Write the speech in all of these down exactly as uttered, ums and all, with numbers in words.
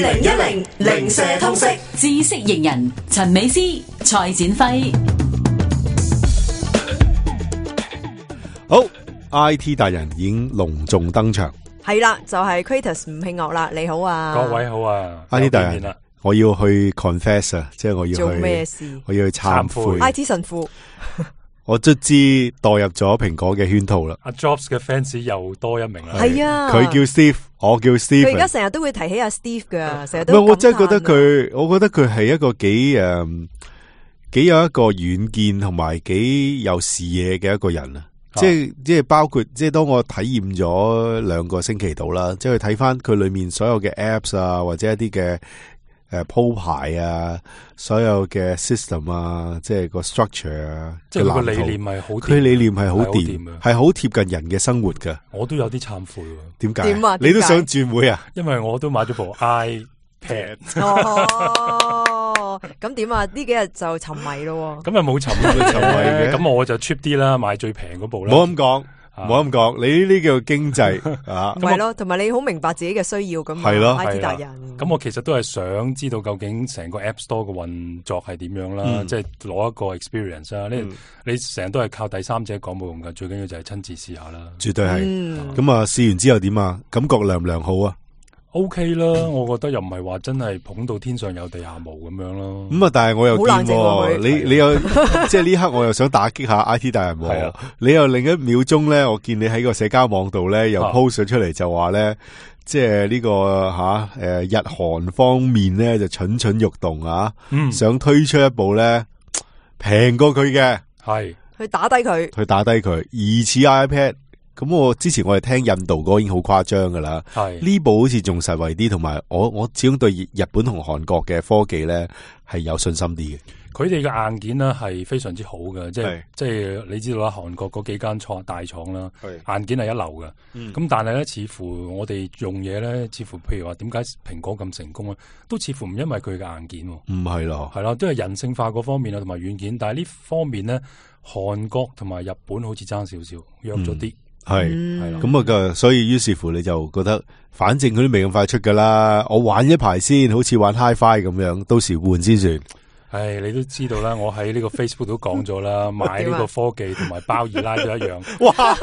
零一零零舍通識知識型人陳美詩、蔡展輝。好 ，I T 達人已經隆重登場。係啦，就係 Kratos 吳慶岳啦，你好啊，各位好啊 I T 達人，我要去 confess 啊，即係我要去做咩事？我要去懺悔。I T 神父，我卒之墮入咗蘋果嘅圈套啦。阿 Jobs 嘅 fans 又多一名啦。係啊，佢叫 Steve，我叫 Steve。佢而家成日都會提起阿 Steve 噶，成日都。唔係，我真係覺得佢，我覺得佢係一個幾誒，幾有一個遠見同埋幾有視野嘅一個人啊。即係即係包括即係當我體驗咗兩個星期度啦，即係睇翻佢裏面所有嘅 apps 啊，或者一啲嘅誒鋪排啊，所有嘅 system 啊，即係個 structure 啊，即係佢個理念係好，佢理念係好掂，係好貼近人嘅生活噶。我都有啲懺悔，點解？點啊？你都想轉會啊？因為我都買咗部 iPad。哦，咁點啊？呢幾日就沉迷咯。咁啊冇沉迷沉迷嘅，咁我就 cheap 啲啦，買最平嗰部啦。唔好咁講，唔好咁講，你呢啲叫經濟啊。係咯，同埋你好明白自己嘅需要咁。係咯 ，I T 達人。咁我其實都係想知道究竟成個 App Store 嘅運作係點樣啦，嗯、即係攞一個 experience 啦。嗯、你你成日都係靠第三者講冇用噶，最緊要就係親自試下啦。絕對係。咁、嗯、啊，試完之後點啊？感覺良唔良好啊？ OK 啦，我覺得又唔係話真係捧到天上有地下無咁樣咯。咁啊，但係我又見喎，你你又即係呢刻我又想打擊下 I T 大人喎。係啊，你又另一秒鐘咧，我見你喺個社交網度咧又 post 咗出嚟，就話咧，即係呢個吓誒日韓方面咧就蠢蠢欲動啊，嗯、想推出一部咧平過佢嘅，係去打低佢，去打低佢，疑似 iPad。咁我之前我哋聽印度嗰個已經好誇張噶啦，係呢部好似仲實惠啲，同埋我我始終對日本同韓國嘅科技咧係有信心啲嘅。佢哋嘅硬件咧係非常之好嘅，即係即係你知道啦，韓國嗰幾間廠大廠啦，硬件係一流嘅。咁、嗯、但係咧，似乎我哋用嘢咧，似乎譬如話點解蘋果咁成功咧，都似乎唔因為佢嘅硬件，唔係咯，係啦，都係人性化嗰方面啊，同埋軟件。但係呢方面咧，韓國同埋日本好似爭少少，弱咗啲。係係啦，咁啊，所以於是乎你就覺得，反正佢都未咁快出噶啦，我玩一排先，好似玩 Hi-Fi 咁樣，到時換先算。唉，你都知道啦，我喺呢個 Facebook 都講咗啦，買呢個科技同埋包二奶都一樣。哇！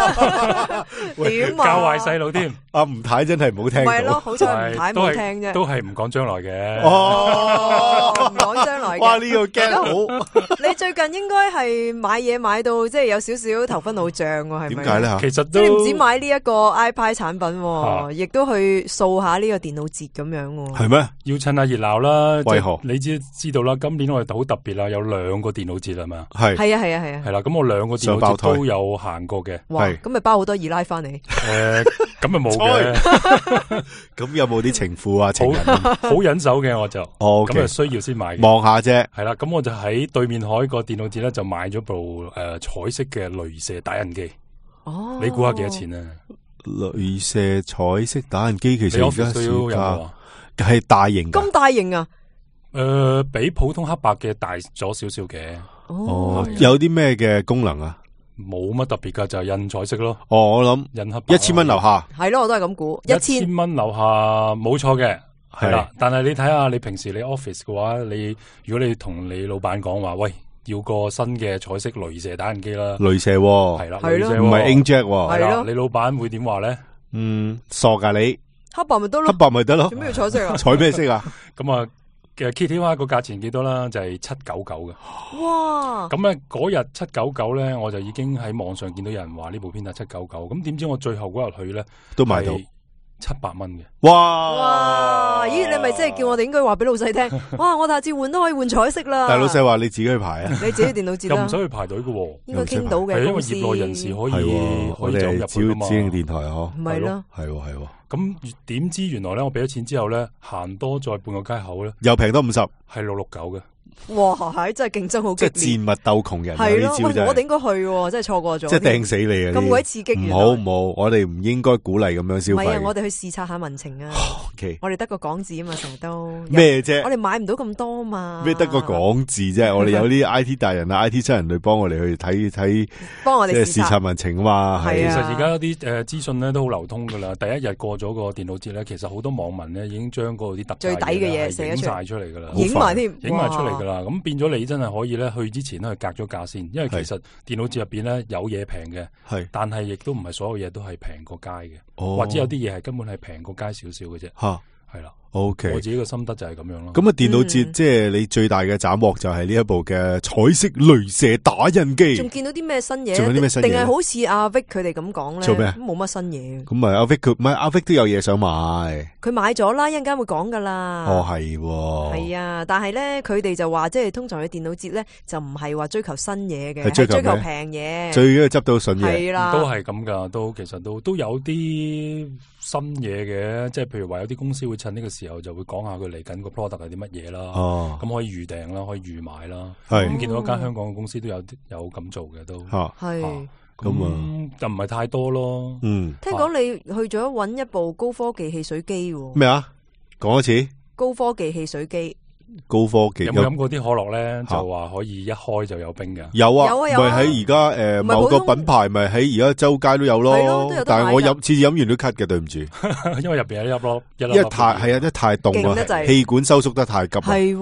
點啊？教壞細路添。阿吳太真係唔好聽。唔係咯，好彩吳太冇聽啫。都係唔講將來嘅。哦，唔講將來嘅。哇！呢個驚好。你最近應該係買嘢買到即係有少少頭昏腦脹喎，係咪？點解咧？其實即係你唔止買呢一個 iPad 產品，亦都去掃下呢個電腦節咁樣。係咩？要趁下熱鬧啦。為何？你知知道啦，今年我哋好特別啦，有兩個電腦節係嘛？係係啊係啊係啊。係啦，咁我兩個電腦節都有行過嘅。哇！咁咪包好多二奶翻嚟。誒，咁咪冇嘅。咁有冇啲情婦啊？情人好忍手嘅我就。哦。咁啊需要先買。望下啫。係啦，咁我就喺對面海個電腦節咧，就買咗部誒彩色嘅鐳射打印機。哦。你估下幾多錢啊？鐳射彩色打印機其實而家都有係大型。咁大型啊？誒、呃，比普通黑白嘅大咗少少嘅。哦，有啲咩嘅功能啊？冇乜特別噶，就係、是、印彩色咯。哦，我諗印黑白。一千蚊樓下。係咯，我都係咁估。一千蚊樓下冇錯嘅，係啦。但係你睇下，你平時你 office 嘅話，你如果你同你老闆講話，喂，要個新嘅彩色鐳射打印機啦。鐳射係啦，係咯，唔係 inkjet 係啦。你老闆會點話咧？嗯，傻噶你。黑白咪得咯。黑白咪得咯。做咩要彩色啊？彩咩色啊？咁啊。其實 Kitty 話個價錢幾多啦？就係七九九嘅。哇！咁咧嗰日七九九咧，我就已經喺網上見到有人話呢部片係七九九。咁點知我最後嗰日去咧都買到七百蚊嘅。哇！哇！咦？你咪即係叫我哋應該話俾老細聽？哇！我下次換都可以換彩色啦。但係老細話你自己去排啊？你自己電腦節啦。又唔使去排隊嘅。應該傾到嘅。因為業內人士可以可以走入去啊嘛。指定電台嗬。唔係咯。係係。咁點知原來咧，我俾咗錢之後咧，行多再半個街口咧，又平多五十，係六六九嘅，哇，係真係競爭好激烈，即係戰物鬥窮人。係咯，我哋應該去，真係錯過咗。即係掟死你啊！咁鬼刺激，唔好唔好，我哋唔應該鼓勵咁樣消費。唔係啊，我哋去視察下民情啊。Okay. 我哋得個港字啊嘛，成日都咩啫？我哋買唔到咁多嘛。咩得個港字啫？我哋有啲 I T 大人啊、I T 七人去幫我哋去睇睇，幫我哋視察民情啊嘛。係啊，其實而家啲誒資訊咧都好流通噶啦。第一日過咗個電腦節咧，其實好多網民咧已經將嗰啲特最抵嘅嘢寫影晒出嚟噶啦，影埋添，影埋出嚟噶啦。咁變咗你真係可以咧去之前咧去格咗價先，因為其實電腦節入邊咧有嘢平嘅，係，但係亦都唔係所有嘢都係平過街嘅，哦，或者有啲嘢係根本係平過街少少嘅啫。吓，係啦。O K， 我自己嘅心得就係咁樣咯。咁啊，電腦節即係你最大嘅斬獲就係呢一部嘅彩色鐳射打印機。仲見到啲咩新嘢？仲有啲咩新嘢？定係好似阿 Vic 佢哋咁講咧？做咩？冇乜新嘢。咁咪阿 Vic 佢唔係阿 Vic 都有嘢想買。佢買咗啦，一陣間會講噶啦。哦，係。係啊，但係咧，佢哋就話即係通常去電腦節咧，就唔係話追求新嘢嘅，係追求平嘢。最緊要執到筍嘢。係啦，都係咁噶，都其實都都有啲新嘢嘅，即係譬如話有啲公司會趁呢個時候就會講下佢嚟緊個 product 係啲乜嘢啦，咁、哦、可以預訂啦，可以預買啦。咁見到一間香港嘅公司都有有咁做嘅都，係咁啊，就唔係太多咯。嗯，聽講你去咗揾一部高科技汽水機喎？咩啊？講一次。高科技汽水機。高科技有冇飲過啲可樂咧？就話可以一開就有冰嘅。有啊，有啊，咪喺而家誒某個品牌咪喺而家周街都有咯。但係我飲次次飲完都咳嘅，對唔住。因為入邊有一粒咯，一粒。因為太係啊，因為太凍啊，氣管收縮得太急。係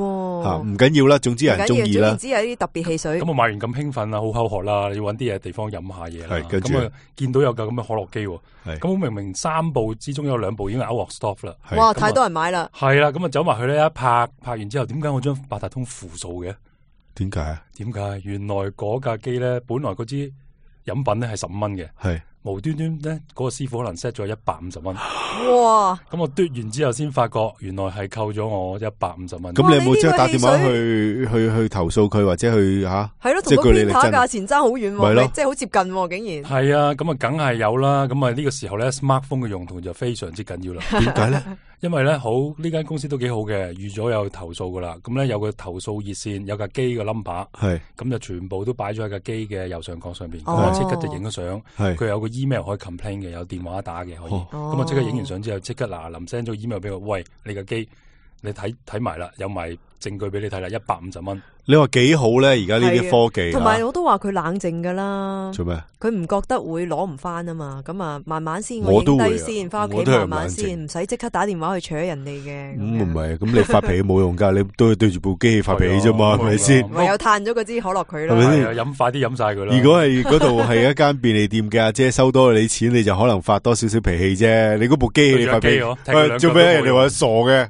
吓唔緊要啦，總之有人中意啦。總之有啲特別汽水。咁我買完咁興奮啊，好口渴啦，要搵啲嘢地方飲下嘢啦。咁啊，見到有架咁嘅可樂機，咁我明明三部之中有兩部已經 out of stock 啦。哇，太多人買啦。係啦，咁啊走埋去咧，一拍拍完之後。點解我將八達通負數嘅？點解啊？點解？原來嗰架機咧，本來嗰支飲品咧係十五蚊嘅，係無端端咧嗰個師傅可能 set 咗一百五十蚊。哇！咁我嘟完之後先發覺，原來係扣咗我一百五十蚊。咁你有冇即係打電話去去去投訴佢，或者去吓？係咯，同個邊塔價錢爭好遠，係咯，即係好接近，竟然。係啊，咁啊，梗係有啦。咁啊，呢個時候咧 ，smartphone 嘅用途就非常之緊要啦。點解咧？因為咧好呢間公司都幾好嘅，預咗有投訴噶啦，咁咧有個投訴熱線，有架機嘅 number， 係咁就全部都擺咗喺架機嘅右上角上邊，咁啊即刻就影咗相，佢有個 email 可以 complain 嘅，有電話打嘅可以，咁啊即刻影完相之後，即刻嗱臨 send 咗 email 俾我，喂，你架機你睇睇埋啦，有埋證據俾你睇啦，一百五十蚊。你話幾好咧？而家呢啲科技，同埋我都話佢冷靜噶啦。做咩？佢唔覺得會攞唔翻啊嘛？咁啊，慢慢先，我影低先，翻屋企慢慢先，唔使即刻打電話去搶人哋嘅。咁唔係，咁你發脾氣冇用噶，你都係對住部機器發脾氣啫嘛，係咪先？唯有嘆咗嗰支可樂佢咯，係咪先？飲快啲飲晒佢啦。如果係嗰度係一間便利店嘅阿姐收多你錢，你就可能發多少少脾氣啫。你嗰部機器發脾氣，做咩？人哋話傻嘅。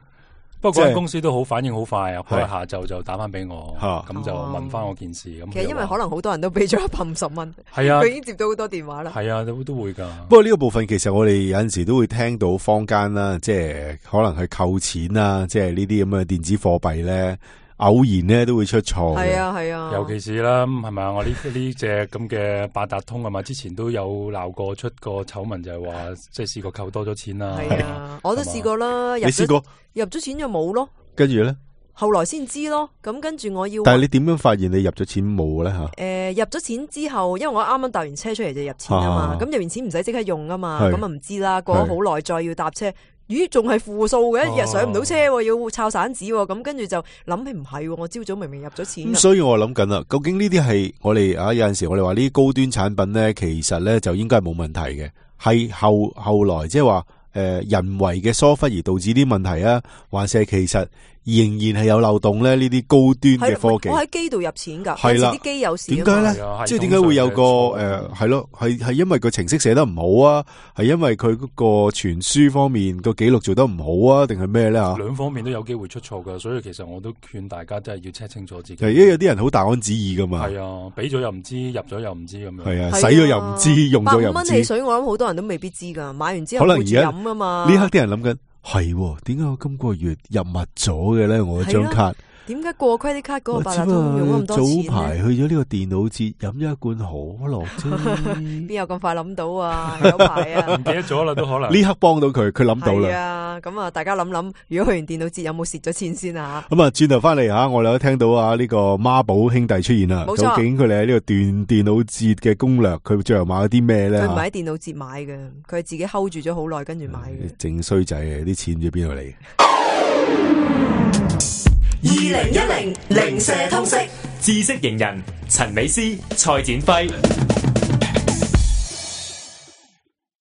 不過嗰間公司都好反應好快啊！佢下晝就打翻俾我，咁就問翻我件事。咁其實因為可能好多人都俾咗一百五十蚊，係啊，佢已經接到好多電話啦。係啊，都都會噶。不過呢個部分其實我哋有陣時都會聽到坊間啦，即係可能係扣錢啦，即係呢啲咁嘅電子貨幣咧，偶然咧都會出錯。係啊係啊，尤其是啦，係咪啊？我呢呢隻咁嘅八達通啊嘛，之前都有鬧過出過醜聞，就係話即係試過扣多咗錢啦。係啊，我都試過啦。你試過？入咗錢就冇咯，跟住咧，後來先知咯。咁跟住我要，但係你點樣發現你入咗錢冇咧吓？誒、呃，入咗錢之後，因為我啱啱搭完車出嚟就入錢啊嘛。咁入完錢唔使即刻用啊嘛，咁啊唔知啦。過咗好耐再要搭車，咦，仲係負數嘅，一日上唔到車，要抄散紙。咁跟住就諗起唔係，我朝早明明入咗錢。咁所以我諗緊啦，究竟呢啲係我哋啊有陣時我哋話呢啲高端產品咧，其實咧就應該係冇問題嘅，係後後來即係話。誒、呃，人為嘅疏忽而導致啲問題啊，還是係其實仍然係有漏洞咧？呢啲高端嘅科技，我喺機度入錢噶，係啦，啲機有事，點解咧？即係點解會有個誒，係咯，係係因為個程式寫得唔好啊，係因為佢嗰個傳輸方面個記錄做得唔好啊，定係咩咧？吓，兩方面都有機會出錯噶，所以其實我都勸大家真係要 check 清楚自己。因為有啲人好大安旨意噶嘛，係啊，俾咗又唔知，入咗又唔知咁樣，係啊，使咗又唔知，用咗又唔知。百五蚊汽水，我諗好多人都未必知噶，買完之後可能而家。呢刻啲人諗緊，係點解我今個月入密咗嘅咧？我張卡。點解過 credit card 嗰個八達通用咁多錢咧？早排去咗呢個電腦節飲咗一罐可樂啫，邊有咁快諗到啊？有排啊，唔記得咗啦，都可能呢刻幫到佢，佢諗到啦。係啊，咁啊，大家諗諗，如果去完電腦節有冇蝕咗錢先啊？咁啊，轉頭翻嚟吓，我哋都聽到啊呢個孖寶兄弟出現啦。冇錯，究竟佢哋喺呢個電電腦節嘅攻略，佢最後買咗啲咩咧？佢唔係喺電腦節買嘅，佢係自己 hold 住咗好耐，跟住買嘅。正衰仔啊！啲錢唔知邊度嚟？二零一零零舍通識知識型人陳美詩、蔡展輝。